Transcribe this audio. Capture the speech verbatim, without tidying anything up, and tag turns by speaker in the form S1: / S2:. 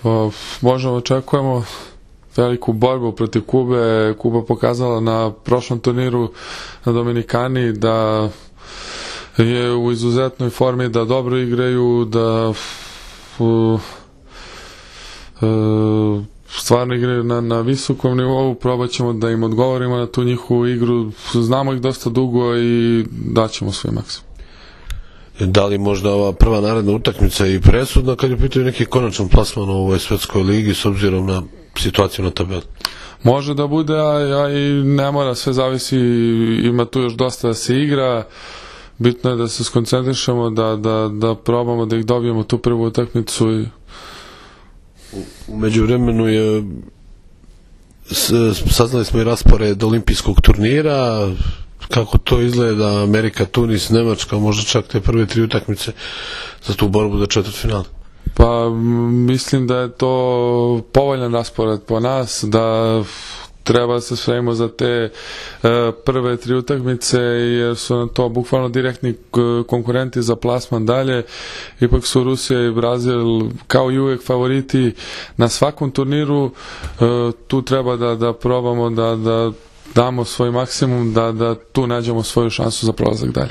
S1: Pa, možda očekujemo veliku borbu protiv Kube. Kuba pokazala na prošlom turniru na Dominikani da je u izuzetnoj formi, da dobro igraju, da uh, uh, stvarno igraju na, na visokom nivou. Probat ćemo da im odgovorimo na tu njihovu igru. Znamo ih dosta dugo i daćemo svoj maksimum.
S2: Da li možda ova prva naredna utakmica i presudna kad je pitaju neki konačan plasman u ovoj svetskoj ligi s obzirom na situaciju na tabeli?
S1: Može da bude, a, a i ne mora, sve zavisi, ima tu još dosta da se igra. Bitno je da se skoncentrišemo, da, da, da probamo da ih dobijemo tu prvu utakmicu. I...
S2: U međuvremenu je saznali smo i raspored olimpijskog turnira. Kako to izgleda? Amerika, Tunis, Nemačka, možda čak te prve tri utakmice za tu borbu za četvrtfinale?
S1: Pa mislim da je to povoljan raspored po nas, da treba se spremimo za te uh, prve tri utakmice, jer su nam to bukvalno direktni konkurenti za plasman dalje. Ipak su Rusija i Brazil kao i uvek favoriti na svakom turniru. Uh, tu treba da, da probamo da, da damo svoj maksimum, da, da tu nađemo svoju šansu za prolazak dalje.